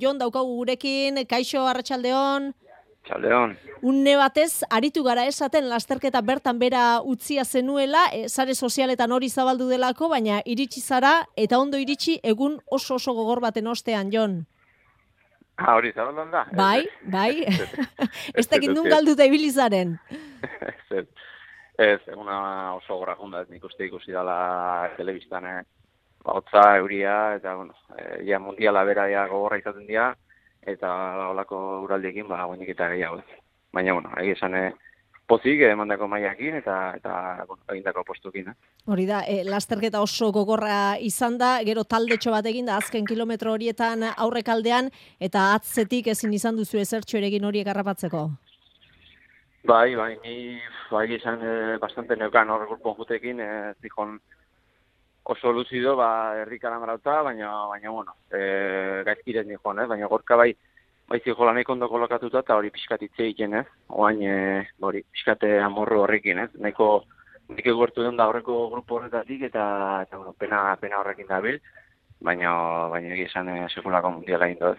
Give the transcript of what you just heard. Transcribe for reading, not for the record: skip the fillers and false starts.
Jon daukagu gurekin, kaixo arratsaldeon. Txaldeon. Une batez, aritu gara esaten lasterketa bertan bera utzia zenuela, sare sozialetan hori zabaldu delako, baina iritsi zara, eta ondo iritsi egun oso gogor baten ostean, Jon. Hori zabaldan da? Bai. Ez dakit nun galduta ibilizaren. Ez, eguna oso gogorra junda, nik uste ikusi dela telebistan, hotza, euria, eta, ja mundiala bera gogorra izaten dira, eta olako uraldiekin, guenik eta gehiago. Baina, egia esan pozik, emandako maiakin, eta egindako postukin. Hori da, lasterketa oso gogorra izan da, gero taldetxo bat egin da, azken kilometro horietan aurrekaldean, eta atzetik ezin izan duzu ezertxo eregin horiek harrapatzeko. Bai, ni esan bastante neukan hor gurpon jutekin, zikon oso luzido, herrikaran marauta, baina gaizkirez nihon, baina gorka bai zijola nahiko ondo kolokatuta, eta hori pixkatitze egiten, oain hori pixkate amorru horrekin, nahiko gertu den da horreko grupo horretatik, eta pena horrekin dabil, baina egia esan sekulako mundiala indoz.